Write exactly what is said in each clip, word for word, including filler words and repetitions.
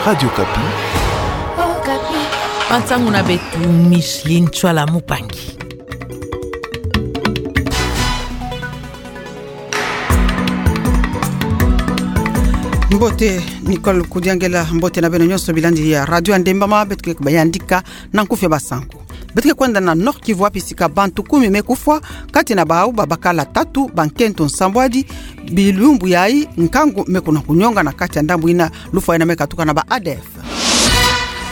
Radio Okapi. Okapi. Bansangu na beto, Micheline Tswala Mupangi. Mbote, Nicole Kudiangela, mbote na beno nyonso bilandi ya Radio Ndembama, beto ke bayandika na nkufi ya basangu. Beto ke kwenda na Nord-Kivu wapi sika bantu kumi me kufwa, kati na bau babakala tatu, bankento nsambwadi, bilumbu yayi nkangu me kuna kunyonga na kati ya ndambu ina lufwa ina me katuka na ba A D F.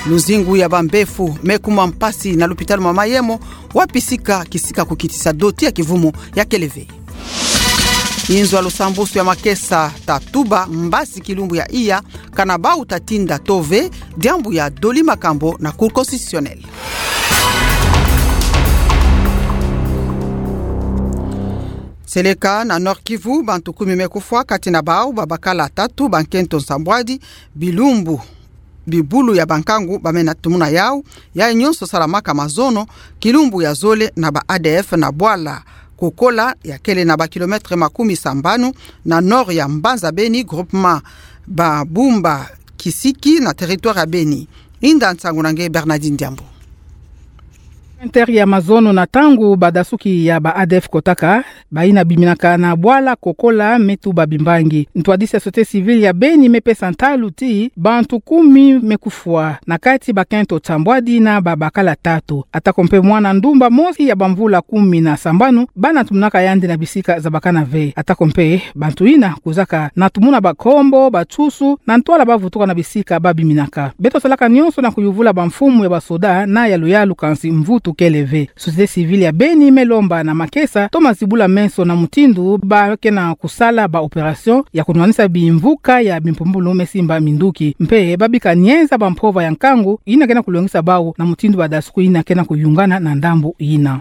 Luzingu ya bambefu me kuma mpasi na lupitalu mama Mayemo, wapi sika kisika kukitisa doti ya kivumu ya kele ve. Inzo ya lusambusu ya makesa ta tuba mbasi kilumbu ya iya, kana bau ta tinda tove, diambu ya doli makambo na Cour constitutionnelle. Seleka na Nord-Kivu, bantu kumi me kufwa, kati na bau babakala tatu, bankento nsambwadi, bilumbu, bibulu ya bankangu ba mena tumuna yau, yayi nyonso salamaka mazono, kilumbu ya zole na ba A D F na bwala Kokola ya kele na ba kilomètre makumi sambanu na nord ya mbanza Beni, groupement Babumba Kisiki na territoire ya Beni. Inda nsangu na nge Bernardine Diambu. Inter ya mazono na ntangu badasuki ya ba A D F kotaka, bayina biminaka na bwala Kokola me tuba bimbangi. Ntwadisi ya société civile ya Beni me pesa ntalu ti bantu kumi me kufwa, na kati bakento nsambwadi na babakala tatu. Atako mpe mwana ndumba mosi ya bamvula kumi na sambanu, bana tumunaka yandi na bisika zabakana ve. Atako mpe bantu yina kuzaka na tumuna bankombo, bansusu, na ntwala bavutuka na bisika babiminaka. Beto salaka nyonso na kuyuvula bamfumu ya basoda na ya luyalu, kansi mvutu kele ve. Société civile ya Beni me lomba na makesa to mazibula meso na mutindu ba ke na kusala ba opération ya kunwanisa bimvuka ya bimpumbulu me simba minduki. Mpe babika nienza bampova ya nkangu yina ke na kulongisa bau na mutindu badasuki yina ke na kuyungana na ndambu yina.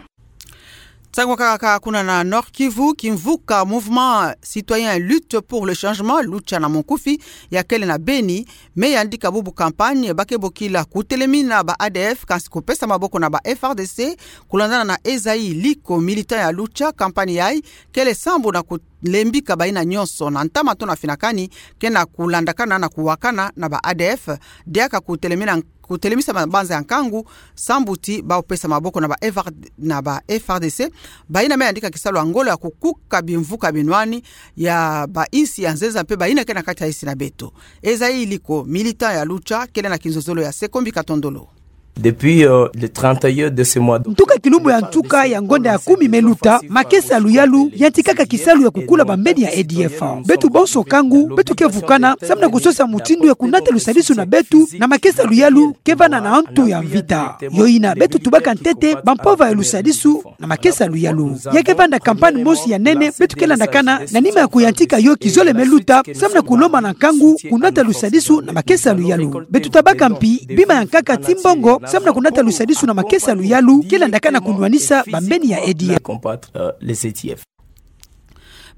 Nsangu kaka kuna na Nord-Kivu, kimvuka Mouvement Citoyen Lutte pour le Changement, Lucha na munkufi, ya kele na Beni, me yandika bubu campagne ba ke bokila kutelemina ba A D F, kansi kupesa maboko na ba F A R D C, kulandana na Esaïe Liko, militant ya Lucha. Campagne yayi kele sambu na kulembika bayina nyonso na ntama to na finakani ke na kulandakana na kuwakana na ba A D F, diaka kutelemina, kutelemisa mabanza ya nkangu, sambu ti bau pesa maboko na ba F R, na ba F A R D C, bayina me yandika kisalu ya ngolo ya kukuka bimvuka binwani ya bainsi ya nzenza mpe bayina ke na kati ya insi na beto. Esaïe Liko, militant ya Lucha, kele na kinzozolo ya Sekombi Katondolo. Depuis, euh, le trente et un de ce mois de... Ntuka kilumbu ya ntuka ya ngonda ya kumi me luta, makesa ya luyalu yantikaka kisalu ya kukula bambeni ya A D F. Beto bonso nkangu, beto ke vukana, samu na kusosa mutindu ya kunata lusadisu na beto na makesa ya luyalu ke vanda na ntu ya mvita. Yo yina beto tubaka ntete bampova ya lusadisu na makesa ya luyalu. Ya ke vanda campagne mosi ya nene beto ke landakana na nima ya kuyantika yo kizole me luta, samu na kulomba na nkangu kunata lusadisu na makesa ya luyalu. Beto tabaka mpi bima ya nkaka ti mbongo samu na kunata lusadisu na makesa ya luyalu ke landakana kunwanisa bambeni ya A D F. Combattre, euh, les A D F.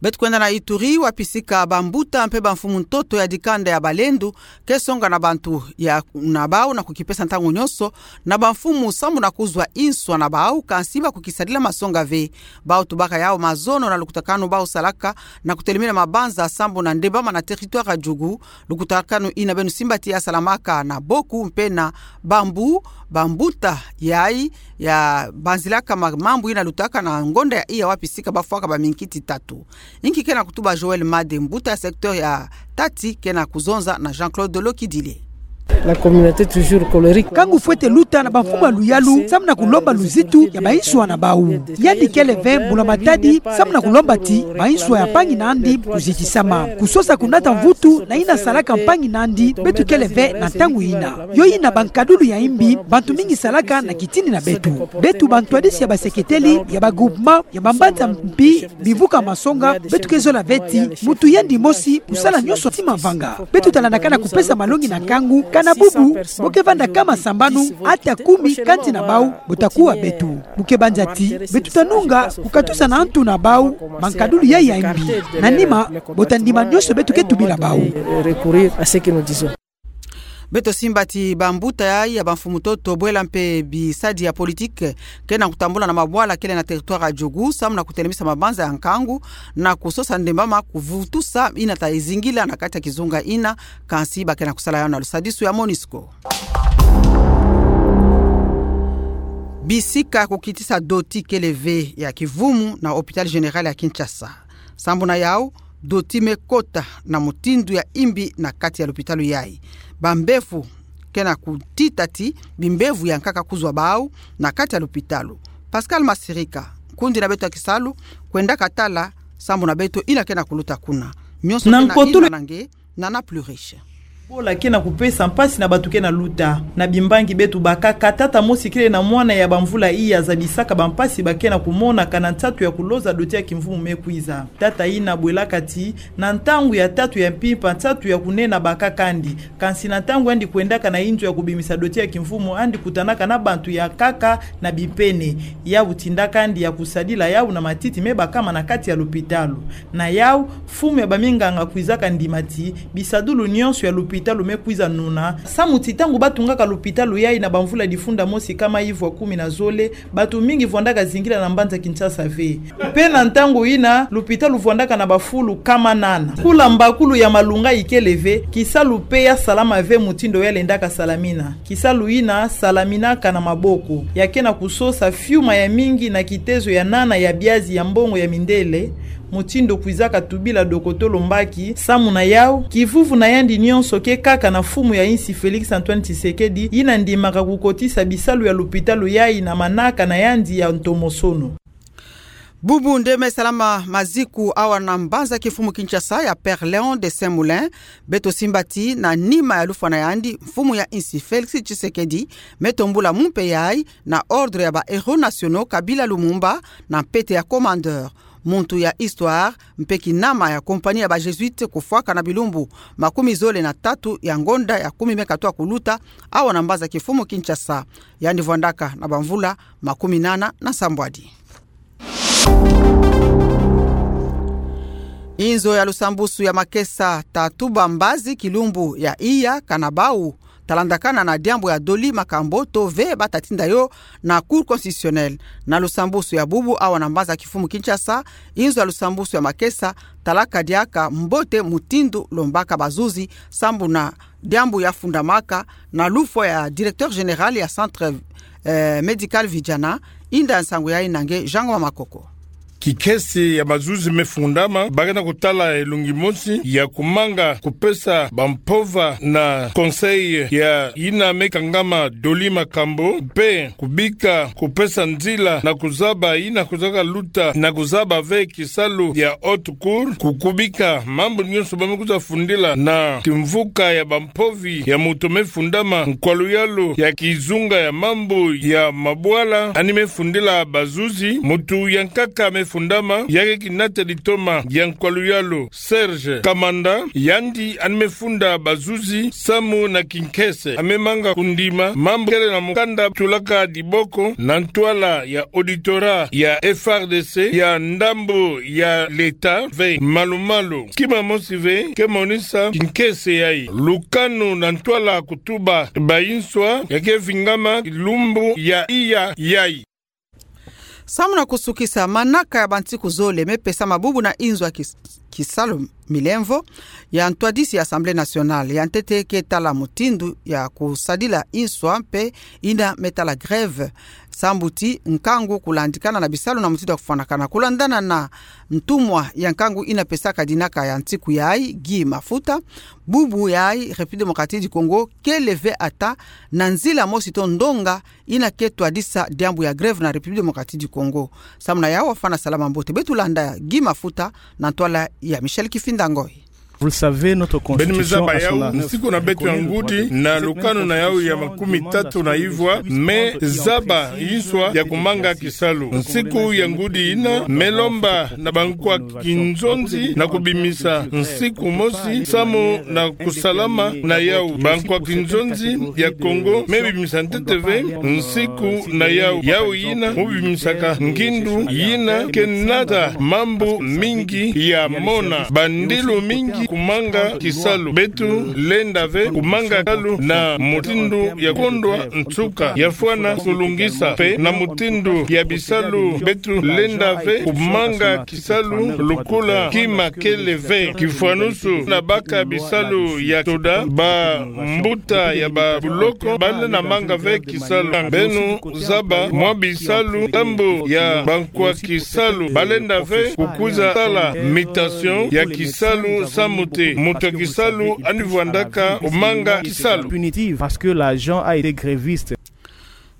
Beto kwenda na Ituri, wapi sika bambuta mpe bamfumu ntoto ya dikanda ya balendu ke songa na bantu ya na bau na kukipesa ntangu nyonso na bamfumu sambu na kuzwa inswa na bau, kansi ba kukisadila masonga ve. Bau tubaka yau mazono na lukutakanu bau salaka na kutelemina mabanza sambu na ndembama na territoire ya Djugu, lukutakanu yina beno simba ti ya salamaka na Boku mpe na Bambu, bambuta yayi ya banzilaka ma-, mambu yina lutaka na ngonda ya iya wapi sika bafwaka baminkiti tatu. Inki ke na kutuba Joël Made, mbuta ya secteur ya Tati, ke na kuzonza na Jean-Claude Lokidile. La communauté toujours colérique. Nkangu fwete luta na bamfumu ya luyalu samu na kulomba luzitu ya bainswa na bau. Yandi kele ve mbula matadi samu na kulomba ti bainswa ya mpangi na yandi kuzitisama. Kusosa kunata mvutu na yina salaka mpangi na yandi, beto kele ve na ntangu yina. Yo yina bankadulu ya imbi bantu mingi salaka na kitini na beto. Beto bantwadisi ya baseketeli ya bagroupement ya bambanza mpi bivuka masonga, beto ke zola ve ti muntu yandi mosi kusala nyonso ti mavanga. Beto talandakana kupesa malongi na nkangu, kana bubu bo ke vanda kama sambanu, ata kumi kati na bau bo ta kuwa beto. Bo ke banza ti beto ta nunga kukatusa na ntu na bau bankadulu yayi ya imbi. Na nima bo ta ndima nyonso beto ke tubila bau. Recourir à ce que nous disons. Beto simba ti bambuta yayi ya bamfumu-ntoto, bwela mpe bisadi ya politiki, ke na kutambula na mabwala kele na territoire ya Djougou, samu na kutelemisa mabanza ya nkangu, na kusosa ndemba ma kuvutusa ina ta ezingila na kati ya kizunga ina, kansi ba ke na kusala yawu na lusadisu ya MONUSCO. Bisika ya kukitisa doti kele ve ya kivumu na hôpital général ya Kinshasa. Sambu na yawu, doti me kota na mutindu ya imbi na kati ya lupitalu yayi. Bambevo ke na kutita ti bimbevo ya nkaka kuzwa bawu na kati ya lupitalu. Pascal Masirika, nkundi na beto ya kisalu, kwendaka tala sambu na beto ina ke na kuluta kuna. Nyonso na ke na nkotolo ina na nge, Nana Pluriche. Bola ke na kupesa mpasi na bato ke na luta. Na bimbangi beto bakaka, tata mosi kele na mwana ya bamvula iya zabisaka bampasi ba ke na kumonaka na nsatu ya kuloza doti ya kimvumu me kwiza. Tata ina abwelaka ti, na ntangu ya tatu ya mpimpa, nsatu ya kunena bakaka andi. Kansi na ntangu andi kwendaka na inzo ya kubimisa doti ya kimvumu, andi kutanaka na bantu ya nkaka na bipene. Yawu tindaka andi ya kusadila yawu na matiti me bakama na kati ya lupitalu. Na yawu, mfumu ya baminganga kwizaka ndima ti, bisadulu nyonso ya lupitalu me kwiza nuna. Samu ti ntangu batungaka lupitalu yayi na bamvula difunda mosi kama ivwa kumi na zole, bato mingi vwandaka zingila na mbanza Kinshasa ve. Mpe na ntangu ina, lupitalu vwandaka na bafulu kama nana. Kula mbakulu ya malunga ikele ve, kisalu mpe ya salama ve mutindu ya lendaka salamina. Kisalu ina salaminaka na maboko. Ya ke na kusosa fiuma ya mingi na kitezo ya nana ya biazi ya mbongo ya mindele, mutindu kwizaka tubila dokotolo mbaki. Samu na yawu, kivuvu na yandi nyonso ke kaka na mfumu ya insi Félix Antoine Tshisekedi, ina ndimaka kukotisa bisalu ya lupitalu yayi na manaka na yandi ya ntomosono. Bubu nde me salama maziku awa na mbanza kimfumu Kinshasa ya Père Léon de Saint-Moulin, beto simba ti na nima ya lufwa na yandi, mfumu ya insi Félix Tshisekedi me tombula mumpe yayi na ordre ya ba héros nationaux Kabila Lumumba na mpete ya commandeur. Muntu ya histoire, mpe kinama ya compagnie ya ba Jésuites kufwaka na bilumbu makumi zole na tatu ya ngonda ya kumi me katoa kuluta, awa na mbanza kimfumu Kinshasa. Yandi vwandaka na bamvula makumi nana na nsambwadi. Inzo ya lusambusu ya makesa ta tuba mbazi kilumbu ya iya kana bawu ta landakana na diambu ya Dolly Makambo to ve bata tinda yo na Cour constitutionnelle. Na lusambusu ya bubu awa na mbanza kimfumu Kinshasa, inzo ya lusambusu ya makesa ta laka diaka mbote mutindu lombaka bazuzi sambu na diambu ya fundamaka na lufwa ya directeur général ya centre, eh, médical Vijana, inda nsangu yayi na nge Jean Ngoma Makoko. Kikese ya bazuzi me fundama, ba ke na kutala elongi mosi ya kumanga kupesa bampova na conseil ya ina me kangama Dolly Makambo, mpe kubika kupesa nzila na kuzaba ina kwizaka luta na kuzaba ve kisalu ya Haute Cour, ku-, kubika mambu nyonso ba me kwiza fundila na kimvuka ya bampovi ya moto me fundama, nkwaluyalu ya kizunga ya mambu ya mabwala ani me fundila bazuzi, moto ya nkaka me fundama, ya ke kinata ditoma ya nkwaluyalu Serge Kamanda, yandi ani me funda bazuzi samu na kinkese. A me manga kundima mambu kele na mukanda tulaka diboko na ntwala ya auditorat ya F R D C, ya ndambu ya l'État ve malu-malu. Kima mosi ve ke monisa kinkese yayi. Lukanu na ntwala kutuba bayinswa ya ke vingama lumbu ya iya yayi. Samu na kusukisa, manaka ya bansiku zole me pesama bubu na inzo ya kis-, kisalu milemvo ya ntwadisi ya Assemblée nationale. Ya ntete ke tala mutindu ya kusadila inswa mpe ina me tala grève. Sambu ti nkangu kulandikana na bisalu na mutindu ya kufwanakana. Kulandana na ntumwa ya nkangu ina pesaka dinaka ya nsiku yayi, Guy Mafuta, bubu yayi République démocratique du Congo kele ve ata na nzila mosi to ndonga ina ke twadisa diambu ya grève na République démocratique du Congo. Samu na yawu, afana salama mbote. Beto landa Guy Mafuta na ntwala ya Michel Kifinda Ngoy. Vous le savez, notre constitution, à son article, reconnaît le droit de grève. Beno me zaba yawu, nsiku na beto ya ngudi na lukanu na yawu ya makumi tatu na ivwa me zaba inswa ya kumanga kisalu. Nsiku ya ngudi ina me lomba na bankwa kinzonzi na kubimisa nsiku mosi samu na kusalama na yawu. Bankwa kinzonzi ya Congo me bimisa ntete ve nsiku na yawu. Yawu ina mu bimisaka ngindu ina ke nata mambu mingi ya mona, bandilu mingi kumanga kisalu. Beto lenda ve kumanga kisalu na mutindu ya kondwa nsuka. Ya fwana kulungisa mpe na mutindu ya bisalu. Beto lenda ve kumanga kisalu lokola kima kele ve. Kifwanusu na baka bisalu ya toda, bambuta ya babuloko, bale na manga ve kisalu. Beno zaba mwa bisalu, ngambu ya bankwa kisalu, balenda ve kukwiza sala mutation ya kisalu, samu te moto ya kisalu ani vwandaka kumanga kisalu. Punitive parce que l'agent a été gréviste.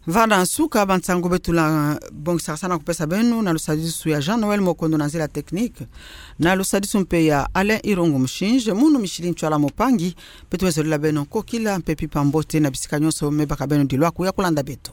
Vana nsuka ba nsangu beto la bongisaka sana kupesa beno na lusadisu ya Jean Noël Mokondo na nzila technique, na lusadisu mpe ya Alain Irungu Mushinje, munu Micheline Tshoala Mopangi. Beto wezolila beno nkokila mpe mpimpa mbote na bisika nyonso me baka beno dilwaku ya kulanda beto.